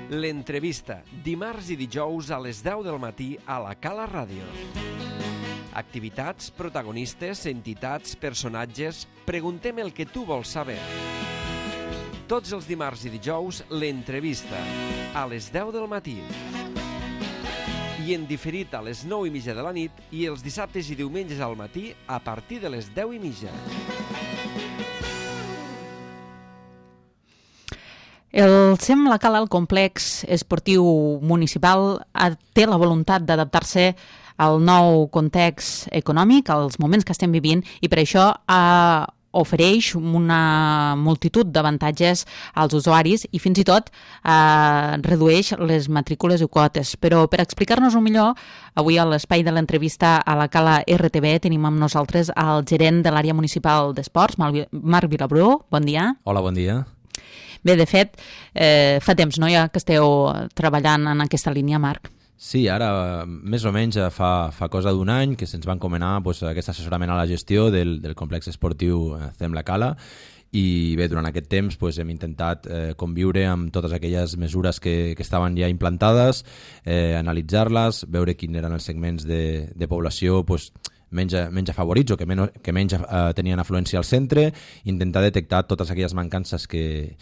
L'entrevista, dimarts i dijous a les 10 del matí a la Cala Ràdio. Activitats, protagonistes, entitats, personatges... Preguntem el que tu vols saber. Tots els dimarts i dijous, l'entrevista, a les 10 del matí. I en diferit a les 9:30 de la nit i els dissabtes i diumenges al matí a partir de les 10:30. El SEM La Cala, el complex esportiu municipal, té la voluntat d'adaptar-se al nou context econòmic, als moments que estem vivint, i per això ofereix una multitud d'avantatges als usuaris i fins i tot redueix les matrícules i quotes. Però per explicar-nos-ho millor, avui a l'espai de l'entrevista a la Cala RTV tenim amb nosaltres el gerent de l'àrea municipal d'esports, Marc Vilabrú. Bon dia. Hola, bon dia. Bé, de fet, fa temps, no?, ja que esteu treballant en aquesta línia, Marc. Sí, ara més o menys fa cosa d'un any que se'ns va encomanar aquest assessorament a la gestió del complex esportiu SEM La Cala, i bé, durant aquest temps hem intentat conviure amb totes aquelles mesures que estaven ja implantades, analitzar-les, veure quins eren els segments de població menys afavorits o que menys tenien afluència al centre, intentar detectar totes aquelles mancances que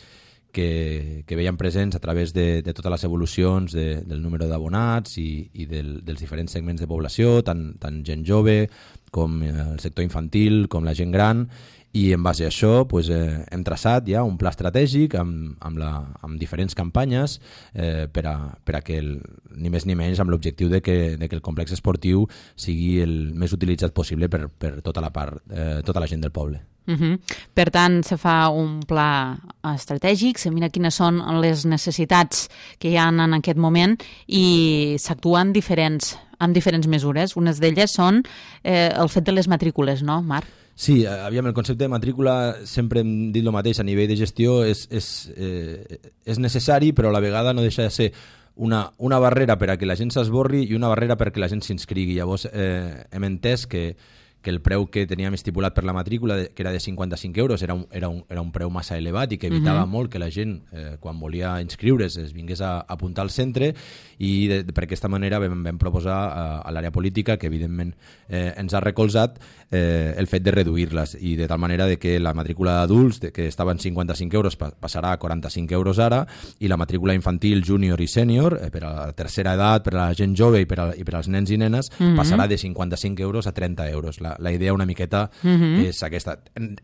veiem presents a través de totes les evolucions del número d'abonats i dels diferents segments de població, tant gent jove com el sector infantil, com la gent gran, i en base a això hem traçat ja un pla estratègic amb diferents campanyes per a que ni més ni menys amb l'objectiu de que el complex esportiu sigui el més utilitzat possible per tota la gent del poble. Per tant, se fa un pla estratègic, se mira quines són les necessitats que hi ha en aquest moment i s'actua amb diferents mesures. Unes d'elles són el fet de les matrícules, no, Marc? Sí, aviam, el concepte de matrícula, sempre hem dit el mateix, a nivell de gestió és necessari, però a la vegada no deixa de ser una barrera per a que la gent s'esborri i una barrera perquè la gent s'inscrigui. Llavors hem entès que el preu que teníem estipulat per la matrícula, que era de 55 euros, era un preu massa elevat i que evitava molt que la gent, quan volia inscriure's, es vingués a apuntar al centre, i per aquesta manera vam proposar a l'àrea política, que evidentment ens ha recolzat, el fet de reduir-les, i de tal manera que la matrícula d'adults, que estava en 55 euros, passarà a 45 euros ara, i la matrícula infantil, júnior i sènior, per a la tercera edat, per a la gent jove i per als nens i nenes, passarà de 55 euros a 30 euros. La idea una miqueta és aquesta.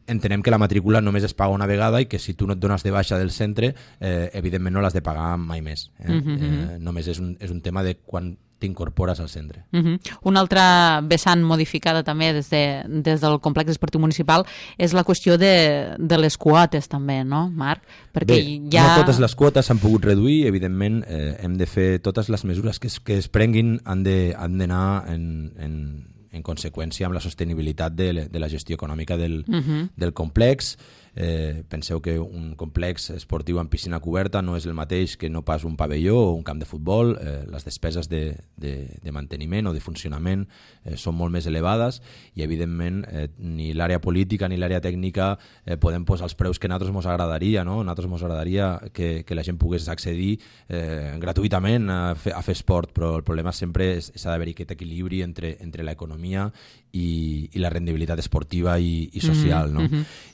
Entenem que la matrícula només es paga una vegada i que si tu no et dones de baixa del centre, evidentment no l'has de pagar mai més. Només és un tema de quan t'incorpores al centre. Una altra vessant modificada també des del complex esportiu municipal és la qüestió de les quotes també, no, Marc? Bé, no totes les quotes s'han pogut reduir, evidentment hem de fer totes les mesures que es prenguin, han d'anar en conseqüència amb la sostenibilitat de la gestió econòmica del complex. Penseu que un complex esportiu amb piscina coberta no és el mateix que no pas un pavelló o un camp de futbol. Les despeses de manteniment o de funcionament són molt més elevades i evidentment ni l'àrea política ni l'àrea tècnica podem posar els preus que a nosaltres ens agradaria, no? A nosaltres ens agradaria que la gent pogués accedir gratuïtament a fer esport, però el problema sempre s'ha d'haver aquest equilibri entre l'economia i la rendibilitat esportiva i social, no?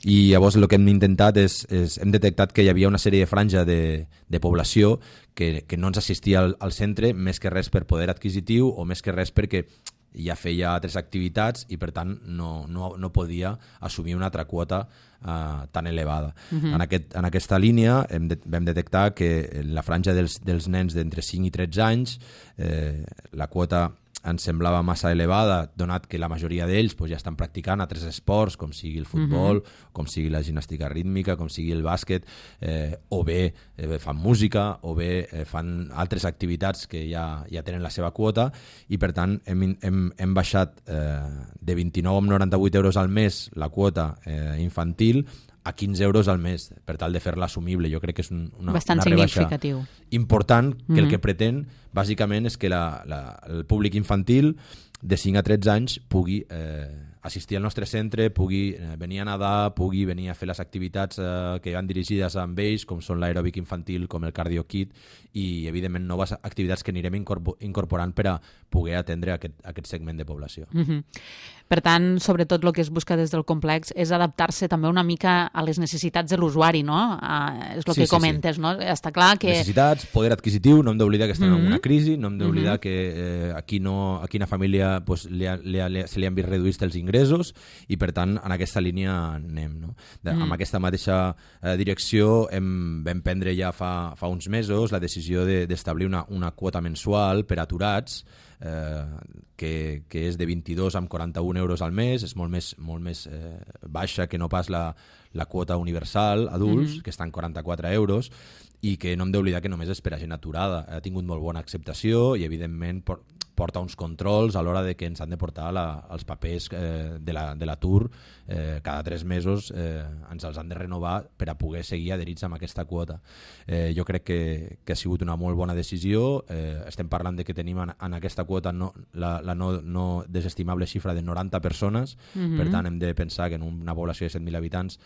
I llavors el que hem intentat hem detectat que hi havia una sèrie de franja de població que no ens assistia al centre, més que res per poder adquisitiu o més que res perquè ja feia altres activitats i per tant no podia assumir una altra quota tan elevada. En aquesta línia vam detectar que en la franja dels nens d'entre 5 i 13 anys la quota ens semblava massa elevada, donat que la majoria d'ells ja estan practicant altres esports, com sigui el futbol, com sigui la gimnàstica rítmica, com sigui el bàsquet, o bé fan música, o bé fan altres activitats que ja tenen la seva quota, i per tant hem baixat de 29,98 euros al mes la quota infantil a 15 euros al mes, per tal de fer-la assumible. Jo crec que és una rebaixa important, que el que pretén bàsicament és que el públic infantil de 5 a 13 anys pugui assistir al nostre centre, pugui venir a nedar, pugui venir a fer les activitats que van dirigides amb ells, com són l'aeròbic infantil, com el cardio kit, i evidentment noves activitats que anirem incorporant per a poder atendre aquest segment de població. Per tant, sobretot el que es busca des del complex és adaptar-se també una mica a les necessitats de l'usuari, no? És el que comentes, no? Està clar que... Necessitats, poder adquisitiu, no hem d'oblidar que estem en una crisi, no hem d'oblidar que aquí una família se li han vist reduïts els ingressos i, per tant, en aquesta línia anem, no? Amb aquesta mateixa direcció vam prendre ja fa uns mesos la decisió d'establir una quota mensual per aturats que és de 22,41 euros al mes, és molt més baixa que no pas la quota universal adults, que està en 44 euros, i que no hem d'oblidar que només és per a gent aturada. Ha tingut molt bona acceptació i, evidentment, porta uns controls a l'hora de que ens han de portar els papers de l'atur. Cada 3 mesos ens els han de renovar per a poder seguir adherits amb aquesta quota. Jo crec que ha sigut una molt bona decisió. Estem parlant de que tenim en aquesta quota la no desestimable xifra de 90 persones, per tant hem de pensar que en una població de 7.000 habitants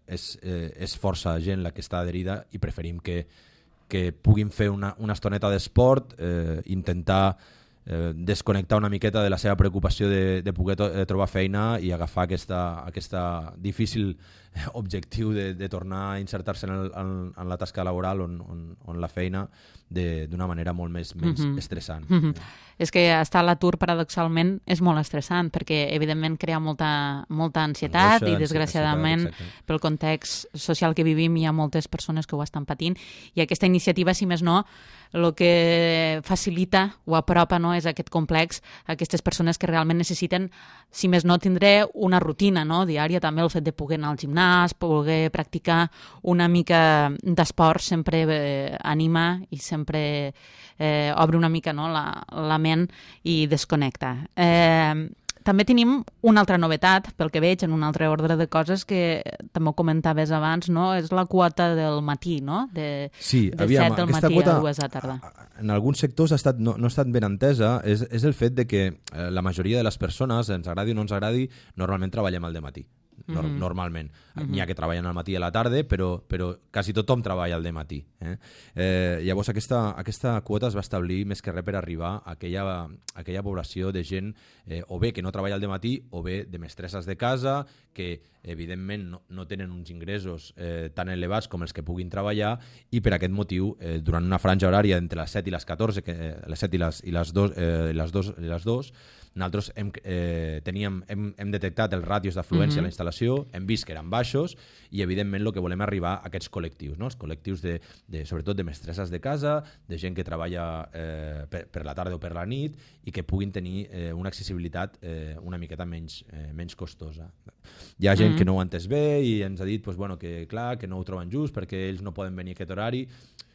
és força gent la que està adherida i preferim que puguin fer una estoneta d'esport, intentar desconnectar una miqueta de la seva preocupació de poder trobar feina i agafar aquesta difícil objectiu de tornar a insertar-se en la tasca laboral on la feina d'una manera molt menys estressant. És que estar a l'atur, paradoxalment, és molt estressant, perquè evidentment crea molta ansietat i, desgraciadament, pel context social que vivim, hi ha moltes persones que ho estan patint, i aquesta iniciativa, si més no, el que facilita o apropa, no, és aquest complex a aquestes persones que realment necessiten, si més no, tindre una rutina, no, diària, també el fet de poder anar al gimnàs, poder practicar una mica d'esport sempre anima i sempre obre una mica, no, la ment i desconnecta. També tenim una altra novetat, pel que veig, en un altre ordre de coses que també ho comentaves abans, no? És la quota del matí, no? De 7 del matí a 2 de la tarda. En alguns sectors no ha estat ben entesa, és el fet de que la majoria de les persones, ens agradi o no ens agradi, normalment treballem al dematí. Normalment. N'hi ha que treballen al matí i a la tarda, però quasi tothom treballa al dematí. Llavors aquesta quota es va establir més que res per arribar a aquella població de gent o bé que no treballa al dematí o bé de mestresses de casa que evidentment no tenen uns ingressos tan elevats com els que puguin treballar i per aquest motiu durant una franja horària entre les 7 i les 14, les 7 i les 2 nosaltres hem detectat els ràtios d'afluència a la instal·lació, hem vist que eren baixos i evidentment el que volem arribar a aquests col·lectius, no? Els col·lectius sobretot de mestresses de casa, de gent que treballa per la tarda o per la nit i que puguin tenir una accessibilitat una miqueta menys costosa. Hi ha gent que no ho ha entès bé i ens ha dit que clar, que no ho troben just perquè ells no poden venir a aquest horari,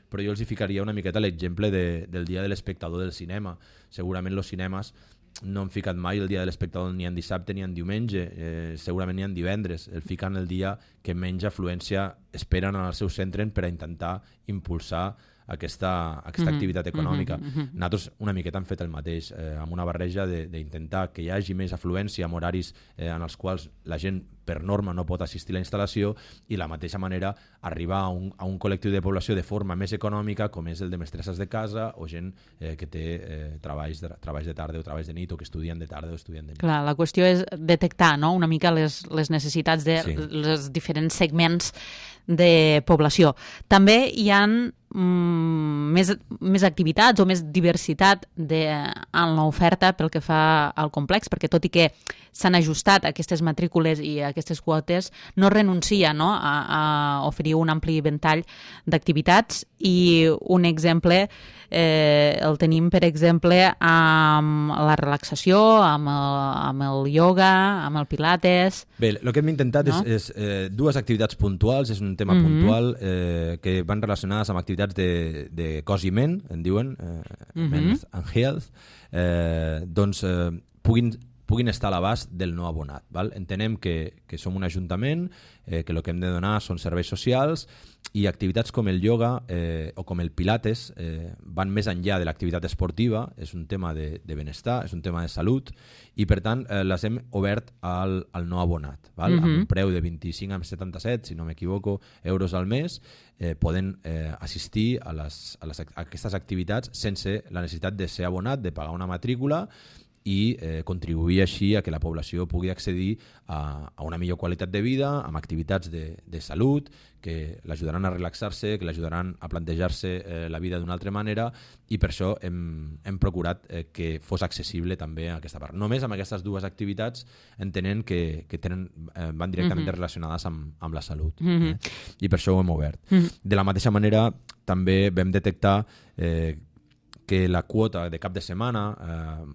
però jo els hi ficaria una miqueta l'exemple del dia de l'espectador del cinema. Segurament els cinemes no han ficat mai el dia de l'espectador ni en dissabte ni en diumenge, segurament ni en divendres. El fiquen el dia que menys afluència esperen en el seu centre per a intentar impulsar aquesta activitat econòmica. Nosaltres una miqueta hem fet el mateix, amb una barreja d'intentar que hi hagi més afluència en horaris en els quals la gent per norma no pot assistir a la instal·lació i de la mateixa manera arribar a un col·lectiu de població de forma més econòmica com és el de mestresses de casa o gent que té treballs de tarda o treballs de nit o que estudien de tarda o estudien de nit. Clar, la qüestió és detectar, no?, una mica les necessitats dels diferents segments de població. També hi ha més activitats o més diversitat en l'oferta pel que fa al complex, perquè tot i que s'han ajustat aquestes matrícules i aquestes quotes, no renuncia, no?, a oferir un ampli ventall d'activitats i un exemple el tenim, per exemple, amb la relaxació, amb el ioga, amb el pilates... Bé, el que hem intentat és dues activitats puntuals, és un tema puntual que van relacionades amb activitats de cos i ment, en diuen, Men's and Health, puguin puguin estar a l'abast del no abonat. Val? Entenem que som un ajuntament, que el que hem de donar són serveis socials i activitats com el ioga o com el pilates van més enllà de l'activitat esportiva, és un tema de benestar, és un tema de salut i per tant les hem obert al no abonat, val? Amb un preu de 25 a 77, si no m'equivoco, euros al mes, poden assistir a aquestes activitats sense la necessitat de ser abonat, de pagar una matrícula i contribuir així a que la població pugui accedir a una millor qualitat de vida, amb activitats de salut, que l'ajudaran a relaxar-se, que l'ajudaran a plantejar-se la vida d'una altra manera i per això hem procurat que fos accessible també a aquesta part. Només amb aquestes dues activitats entenent que van directament relacionades amb la salut. I per això ho hem obert. De la mateixa manera també vam detectar que la quota de cap de setmana,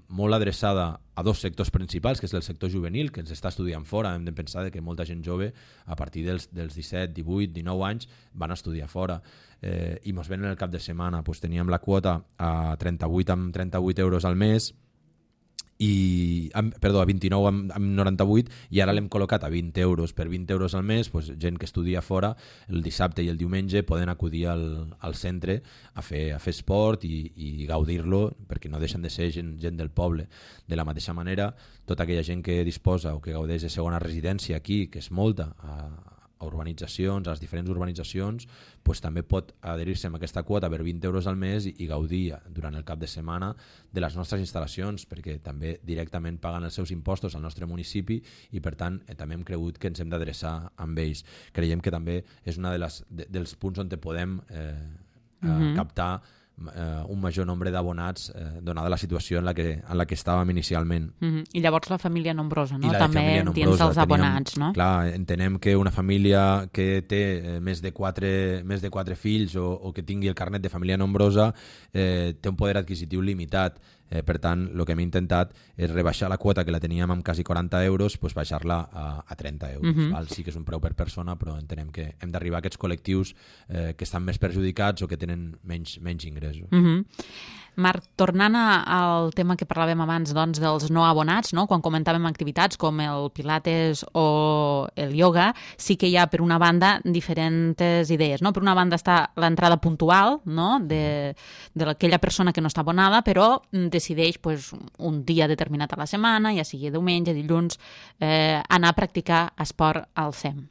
molt adreçada a dos sectors principals, que és el sector juvenil, que ens està estudiant fora. Hem de pensar que molta gent jove, a partir dels 17, 18, 19 anys, van a estudiar fora. I ens venen el cap de setmana. Pues teníem la quota a 38 euros al mes, a 29 amb 98 i ara l'hem col·locat a 20 euros. Per 20 euros al mes, pues, gent que estudia fora el dissabte i el diumenge poden acudir al centre a fer esport i gaudir-lo, perquè no deixen de ser gent del poble. De la mateixa manera, tota aquella gent que disposa o que gaudeix de segona residència aquí, que és molta, a urbanitzacions, a les diferents urbanitzacions, pues, també pot adherir-se amb aquesta quota per 20 euros al mes i gaudir durant el cap de setmana de les nostres instal·lacions, perquè també directament paguen els seus impostos al nostre municipi i per tant també hem cregut que ens hem d'adreçar amb ells. Creiem que també és un dels punts on podem captar un major nombre d'abonats donada la situació en la que estàvem inicialment. I llavors la família nombrosa, no? També dins dels abonats, no? Clar, entenem que una família que té més de 4 fills o que tingui el carnet de família nombrosa té un poder adquisitiu limitat. Per tant, el que hem intentat és rebaixar la quota que la teníem amb quasi 40 euros, pues baixar-la a 30 euros. Val? Sí que és un preu per persona, però entenem que hem d'arribar a aquests col·lectius que estan més perjudicats o que tenen menys ingressos. Marc, tornant al tema que parlàvem abans, doncs, dels no abonats, no? Quan comentàvem activitats com el pilates o el ioga, sí que hi ha, per una banda, diferents idees, no? Per una banda està l'entrada puntual, no? de aquella persona que no està abonada, però decideix pues, un dia determinat a la setmana, ja sigui diumenge, dilluns, anar a practicar esport al SEM.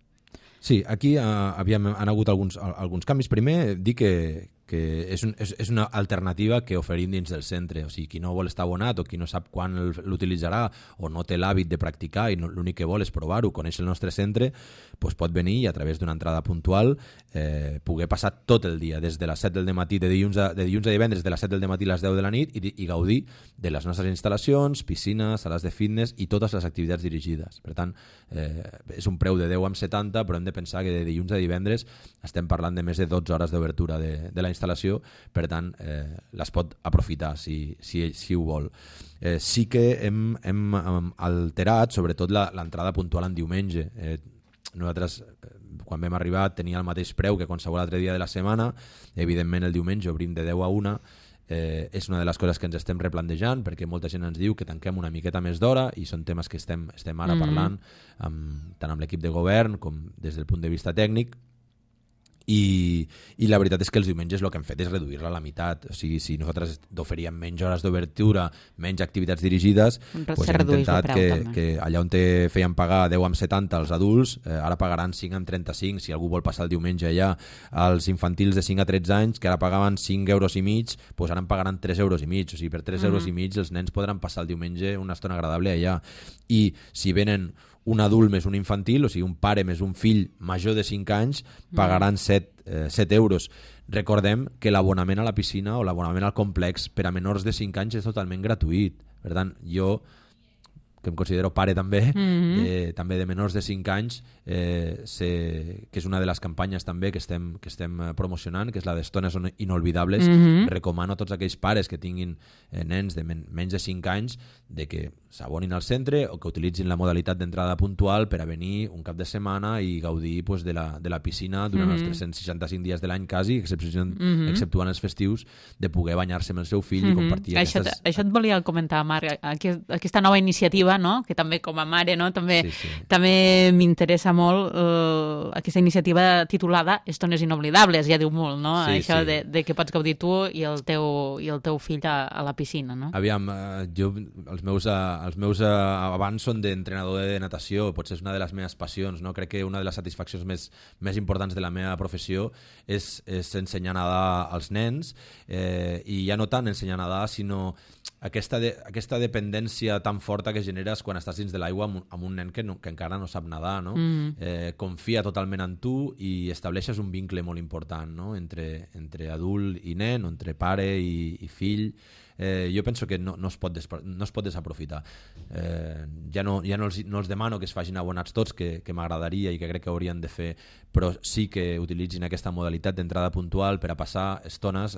Sí, aquí han hagut alguns canvis. Primer, dir que és una alternativa que oferim dins del centre. O sigui, qui no vol estar abonat o qui no sap quan l'utilitzarà o no té l'hàbit de practicar i l'únic que vol és provar-ho, conèixer el nostre centre, doncs pot venir i a través d'una entrada puntual poder passar tot el dia, des de les 7 del matí, de dilluns a divendres, de les 7 del matí a les 10 de la nit i gaudir de les nostres instal·lacions, piscines, sales de fitness i totes les activitats dirigides. Per tant, és un preu de 10 amb 70, però hem de pensar que de dilluns a divendres estem parlant de més de 12 hores d'obertura de la instal·lació, per tant les pot aprofitar si ho vol. Sí que hem alterat sobretot l'entrada puntual en diumenge. Nosaltres quan vam arribar tenia el mateix preu que qualsevol altre dia de la setmana. Evidentment el diumenge obrim de 10 a 1. És una de les coses que ens estem replantejant, perquè molta gent ens diu que tanquem una miqueta més d'hora i són temes que estem ara parlant tant amb l'equip de govern com des del punt de vista tècnic. I la veritat és que els diumenges el que hem fet és reduir-la a la meitat. O sigui, si nosaltres oferíem menys hores d'obertura, menys activitats dirigides, doncs hem intentat que allà on feien pagar 10 amb 70 als adults, ara pagaran 5 amb 35, si algú vol passar el diumenge allà. Els infantils de 5 a 13 anys, que ara pagaven 5 euros i mig, doncs ara en pagaran 3 euros i mig. O sigui, per 3 euros i mig els nens podran passar el diumenge una estona agradable allà. I si venen un adult més un infantil, o sigui, un pare més un fill major de 5 anys, pagaran 7 euros. Recordem que l'abonament a la piscina o l'abonament al complex per a menors de 5 anys és totalment gratuït. Per tant, jo, que em considero pare també, també de menors de 5 anys, que és una de les campanyes també que estem promocionant, que és la d'estones inolvidables. Recomano a tots aquells pares que tinguin nens de menys de 5 anys de que s'abonin al centre o que utilitzin la modalitat d'entrada puntual per a venir un cap de setmana i gaudir pues, de la piscina durant els 365 dies de l'any quasi, exceptuant els festius, de poder banyar-se amb el seu fill i compartir Això et volia comentar, Marc. Aquesta nova iniciativa, iniciativa, no? Que també com a mare, no? També m'interessa molt aquesta iniciativa titulada Estones inoblidables, ja diu molt, no? Això de que pots gaudir tu i el teu fill a la piscina, no? Aviam, jo, els meus abans són d'entrenador de natació, potser és una de les meves passions, no? Crec que una de les satisfaccions més importants de la meva professió és ensenyar a nedar als nens, i ja no tant ensenyar a nedar, sinó aquesta dependència tan forta que generes quan estàs dins de l'aigua amb un nen que encara no sap nedar, no? Confia totalment en tu i estableixes un vincle molt important, no? Entre adult i nen, o entre pare i fill. Jo penso que no es pot desaprofitar. Ja no els demano que es facin abonats tots, que m'agradaria i que crec que haurien de fer, però sí que utilitzin aquesta modalitat d'entrada puntual per a passar estones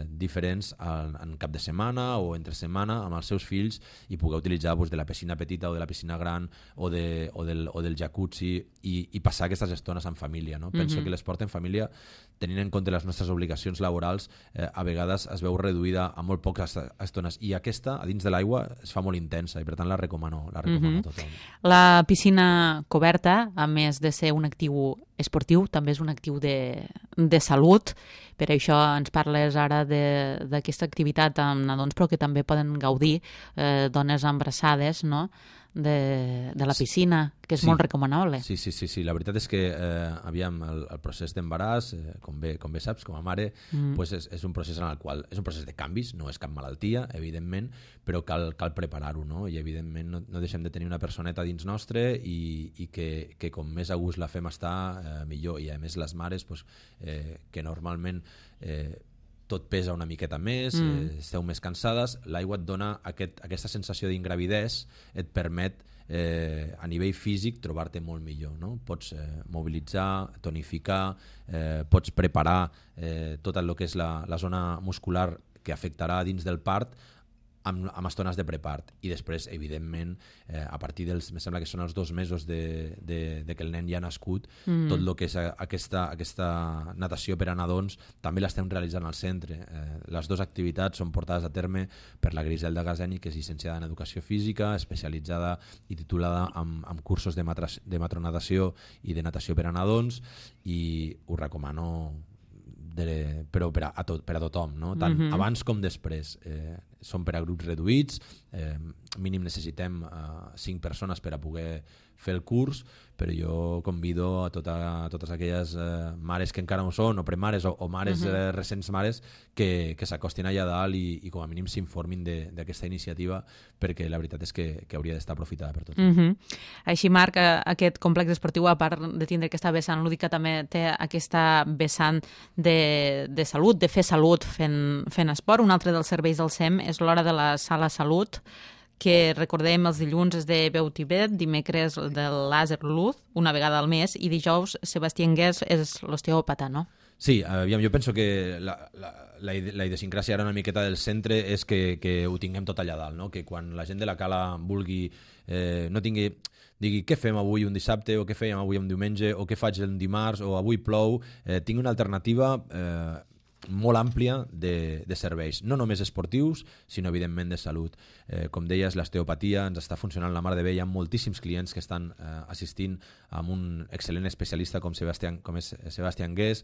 diferents en cap de setmana o entre setmana amb els seus fills i poder utilitzar de la piscina petita o de la piscina gran o del jacuzzi i passar aquestes estones en família, no? Penso que l'esport en família, tenint en compte les nostres obligacions laborals, a vegades es veu reduïda a molt poques estones, i aquesta a dins de l'aigua es fa molt intensa i per tant la recomano a tothom. La piscina coberta, a més de ser un actiu esportiu, també és un actiu de salut. Per això ens parles ara d'aquesta activitat amb nadons, però que també poden gaudir dones embarassades, no?, de la piscina, que és molt recomanable. Sí. La veritat és que aviam, el procés d'embaràs, com bé saps, com a mare, és un procés en el qual és un procés de canvis, no és cap malaltia, evidentment, però cal preparar-ho, no? I evidentment no deixem de tenir una personeta dins nostre i que com més a gust la fem estar, millor. I a més les mares, que normalment tot pesa una miqueta més, esteu més cansades, l'aigua et dona aquesta sensació d'ingravidès, et permet a nivell físic trobar-te molt millor, no? Pots mobilitzar, tonificar, pots preparar tot el que és la zona muscular que afectarà dins del part amb estones de prepart, i després evidentment a partir dels, em sembla que són els 2 mesos de que el nen ja ha nascut, tot el que és aquesta natació per a nadons també l'estem realitzant al centre. Les 2 activitats són portades a terme per la Griselda Gazeni, que és llicenciada en Educació Física, especialitzada i titulada amb cursos de matronatació i de natació per a nadons, i ho recomano però per a tothom, no? Tant abans com després. Són per a grups reduïts, mínim necessitem 5 persones per a poder fer el curs, però jo convido a totes aquelles mares que encara no són, o premares o mares recents mares, que s'acostin allà dalt i com a mínim s'informin d'aquesta iniciativa, perquè la veritat és que hauria d'estar aprofitada per tothom. Així, Marc, aquest complex esportiu, a part de tindre aquesta vessant lúdica, també té aquesta vessant de salut, de fer salut fent esport. Un altre dels serveis del SEM és l'hora de la sala salut, que recordem els dilluns és de Veu Tibet, dimecres del Làser Luz, una vegada al mes, i dijous Sebastià Anguès és l'osteòpata, no? Sí, aviam, jo penso que la idiosincràsia ara una miqueta del centre és que ho tinguem tot allà dalt, no? Que quan la gent de la cala vulgui, no digui què fem avui un dissabte, o què fèiem avui un diumenge, o què faig el dimarts, o avui plou, tingui una alternativa molt àmplia de serveis, no només esportius, sinó evidentment de salut. Com deies, l'osteopatia ens està funcionant la mar de bé, hi ha moltíssims clients que estan assistint amb un excel·lent especialista com és Sebastià Anguès.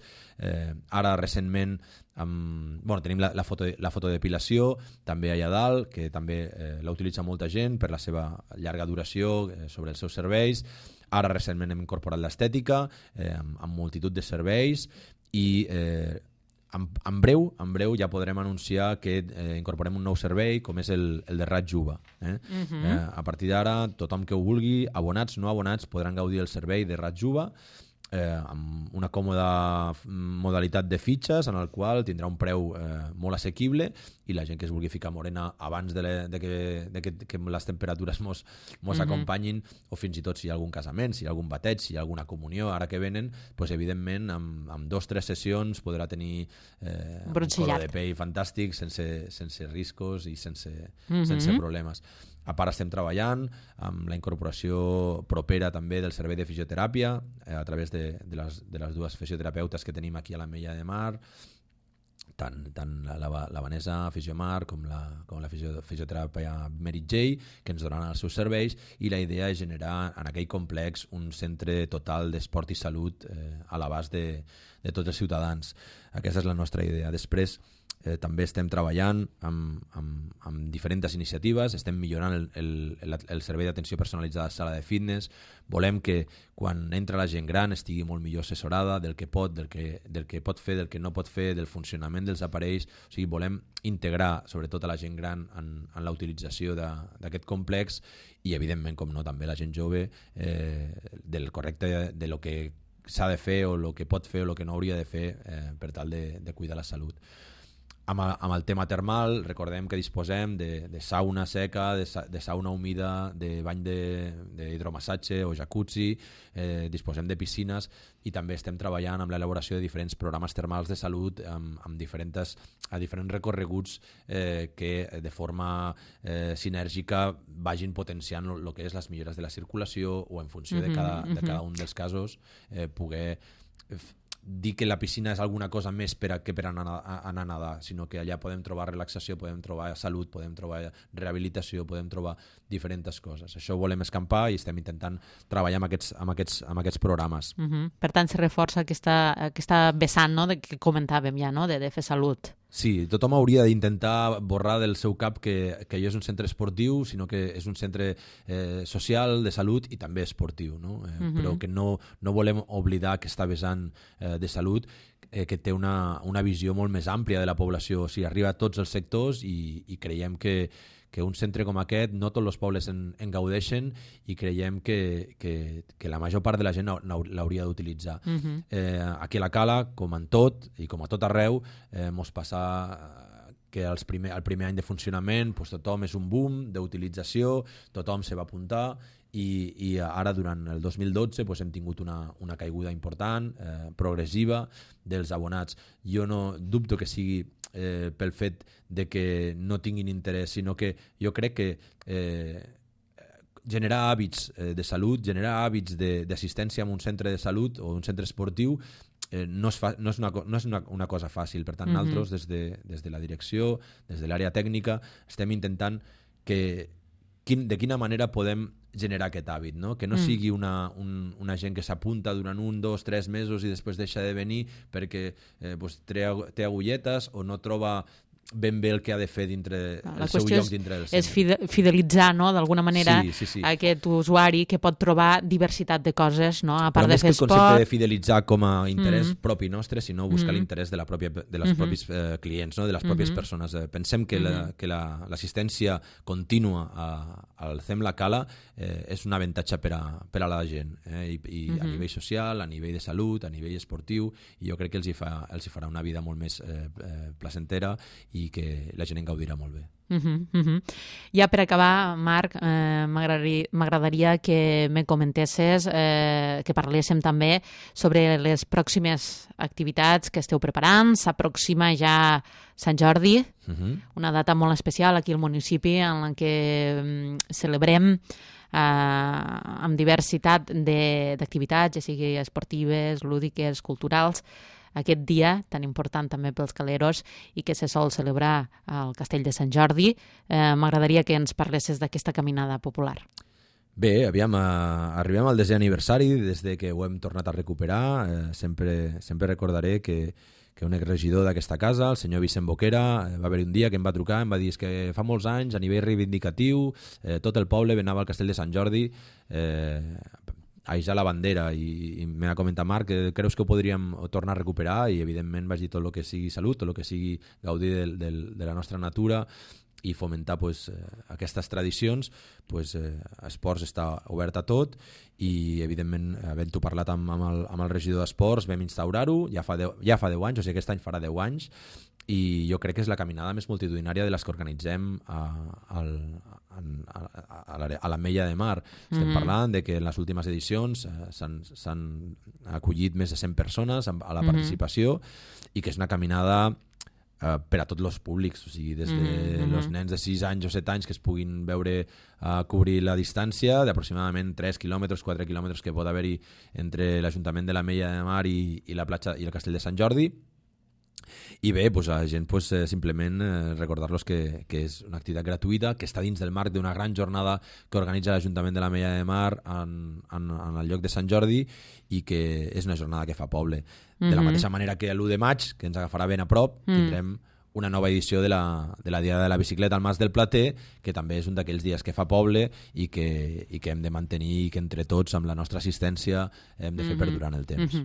Ara recentment tenim la fotodepilació també allà dalt, que també la utilitza molta gent per la seva llarga duració sobre els seus serveis. Ara recentment hem incorporat l'estètica amb multitud de serveis, i en breu ja podrem anunciar que incorporem un nou servei, com és el de raig UVA. A partir d'ara, tothom que ho vulgui, abonats, no abonats, podran gaudir del servei de raig UVA amb una còmoda modalitat de fitxes, en el qual tindrà un preu molt assequible, i la gent que es vulgui ficar morena abans de que les temperatures mos acompanyin, o fins i tot si hi ha algun casament, si hi ha algun bateig, si hi ha alguna comunió, ara que venen, doncs evidentment amb 2 o 3 sessions podrà tenir un color de pell fantàstic, sense riscos i sense problemes. A part, estem treballant amb la incorporació propera també del servei de fisioteràpia a través de les 2 fisioterapeutes que tenim aquí a l'Ametlla de Mar. tant la Vanessa Fisiomar com la fisioteràpia Merit J, que ens donaran els seus serveis, i la idea és generar en aquell complex un centre total d'esport i salut a l'abast de tots els ciutadans. Aquesta és la nostra idea. Després també estem treballant amb diferents iniciatives, estem millorant el servei d'atenció personalitzada a la sala de fitness, volem que quan entra la gent gran estigui molt millor assessorada del que pot fer, del que no pot fer, del funcionament dels aparells. O sigui, volem integrar sobretot a la gent gran en la utilització d'aquest complex i, evidentment, com no, també la gent jove del correcte de lo que s'ha de fer o el que pot fer o el que no hauria de fer per tal de cuidar la salut. Amb el tema termal, recordem que disposem de sauna seca, de sauna humida, de bany d'hidromassatge o jacuzzi, disposem de piscines i també estem treballant amb l'elaboració de diferents programes termals de salut amb diferents recorreguts que de forma sinèrgica vagin potenciant el que és les millores de la circulació o en funció de cada un dels casos poder dir que la piscina és alguna cosa més per anar a nedar, sinó que allà podem trobar relaxació, podem trobar salut, podem trobar rehabilitació, podem trobar diferents coses. Això ho volem escampar i estem intentant treballar amb aquests programes. Per tant, se reforça aquesta vessant, no?, que comentàvem ja, no?, de fer salut. Sí, tothom hauria d'intentar borrar del seu cap que allò és un centre esportiu, sinó que és un centre social, de salut i també esportiu, no? Però que no volem oblidar aquesta vessant de salut que té una visió molt més àmplia de la població, o sigui, arriba a tots els sectors i creiem que un centre com aquest no tots els pobles en gaudeixen i creiem que la major part de la gent l'hauria d'utilitzar. Aquí a la Cala, com en tot i com a tot arreu, mos passa que el primer any de funcionament tothom és un boom d'utilització, tothom se va apuntar i ara durant el 2012 hem tingut una caiguda important, progressiva, dels abonats. Jo no dubto que sigui pel fet de que no tinguin interès, sinó que jo crec que generar hàbits de salut, generar hàbits d'assistència en un centre de salut o un centre esportiu no és una cosa fàcil. Per tant, nosaltres des de la direcció, des de l'àrea tècnica, estem intentant de quina manera podem generar aquest hàbit, no? Que no sigui una gent que s'apunta durant 1, 2, 3 mesos i després deixa de venir perquè té agulletes o no troba ben bé el que ha de fer dintre el seu lloc dintre del centre. És fidelitzar, no?, d'alguna manera aquest usuari que pot trobar diversitat de coses, no?, a part de fer esport. Però més que el concepte de fidelitzar com a interès propi nostre, sinó buscar l'interès de les propis clients, no?, de les pròpies persones. Pensem que l'assistència contínua al CEM La Cala és un avantatge per a la gent, i a nivell social, a nivell de salut, a nivell esportiu, i jo crec que els hi farà una vida molt més placentera i que la gent en gaudirà molt bé. Ja per acabar, Marc, m'agradaria que me comentessis, que parléssim també sobre les pròximes activitats que esteu preparant. S'aproxima ja Sant Jordi, una data molt especial aquí al municipi en la que celebrem amb diversitat d'activitats, ja sigui esportives, lúdiques, culturals, aquest dia tan important també pels caleros i que se sol celebrar al Castell de Sant Jordi. M'agradaria que ens parlessis d'aquesta caminada popular. Bé, arribem al 10è aniversari des que ho hem tornat a recuperar. Sempre recordaré que un exregidor d'aquesta casa, el senyor Vicent Boquera, va haver un dia que em va trucar, em va dir que fa molts anys, a nivell reivindicatiu, tot el poble anava al Castell de Sant Jordi a ixar la bandera, i m'ha comentat, Marc, creus que ho podríem tornar a recuperar? I evidentment vaig dir tot el que sigui salut, tot el que sigui gaudir de la nostra natura i fomentar aquestes tradicions. Esports està obert a tot i evidentment, havent-ho parlat amb el regidor d'Esports, vam instaurar-ho ja fa 10 anys, o sigui, aquest any farà 10 anys, i jo crec que és la caminada més multitudinària de les que organitzem a l'Ametlla de Mar. Estem parlant de que en les últimes edicions s'han acollit més de 100 persones a la participació i que és una caminada per a tots els públics, o sigui, des de els nens de 6 anys o 7 anys que es puguin veure cobrir la distància d'aproximadament 3 quilòmetres, 4 quilòmetres que pot haver-hi entre l'Ajuntament de l'Ametlla de Mar i la platja i el Castell de Sant Jordi, I bé, pues, a la gent simplement recordar-los que és una activitat gratuïta, que està dins del marc d'una gran jornada que organitza l'Ajuntament de l'Ametlla de Mar en el lloc de Sant Jordi i que és una jornada que fa poble. De la mateixa manera que l'1 de maig, que ens agafarà ben a prop, tindrem una nova edició de la Diada de la Bicicleta al Mas del Plater, que també és un d'aquells dies que fa poble i que hem de mantenir i que entre tots, amb la nostra assistència, hem de fer perdurar en el temps.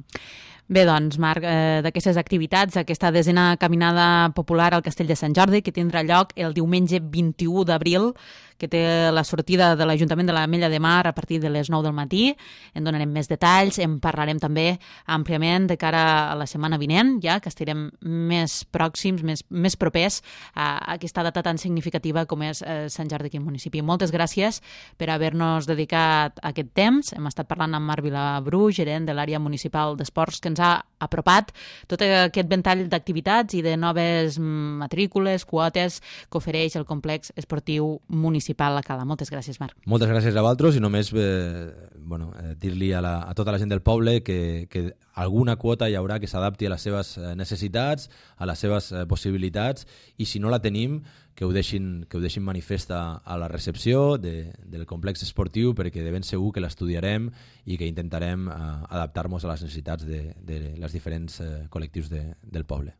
Bé, doncs, Marc, d'aquestes activitats, aquesta desena caminada popular al Castell de Sant Jordi, que tindrà lloc el diumenge 21 d'abril, que té la sortida de l'Ajuntament de l'Ametlla de Mar a partir de les 9 del matí. En donarem més detalls, en parlarem també àmpliament de cara a la setmana vinent, ja que estarem més pròxims, més propers a aquesta data tan significativa com és Sant Jordi aquí al municipi. Moltes gràcies per haver-nos dedicat aquest temps. Hem estat parlant amb Marc Vilabru, gerent de l'àrea municipal d'esports, que ens ha apropat tot aquest ventall d'activitats i de noves matrícules, quotes que ofereix el complex esportiu municipal La Cala. Moltes gràcies, Marc. Moltes gràcies a vosaltres i només dir-li a tota la gent del poble que alguna quota hi haurà que s'adapti a les seves necessitats, a les seves possibilitats, i si no la tenim, que ho deixin manifesta a la recepció del complex esportiu, perquè de ben segur que l'estudiarem i que intentarem adaptar-nos a les necessitats de les diferents col·lectius del poble.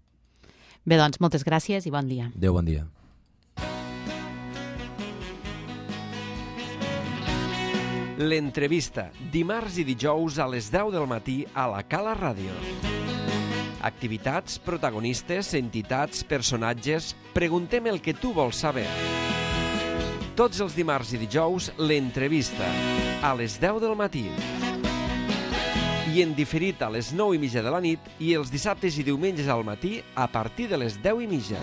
Bé, doncs, moltes gràcies i bon dia. Adéu, bon dia. L'entrevista, dimarts i dijous a les 10 del matí a la Cala Ràdio. Activitats, protagonistes, entitats, personatges... Preguntem el que tu vols saber. Tots els dimarts i dijous, l'entrevista, a les 10 del matí. I en diferit a les 9:30 de la nit i els dissabtes i diumenges al matí a partir de les 10:30.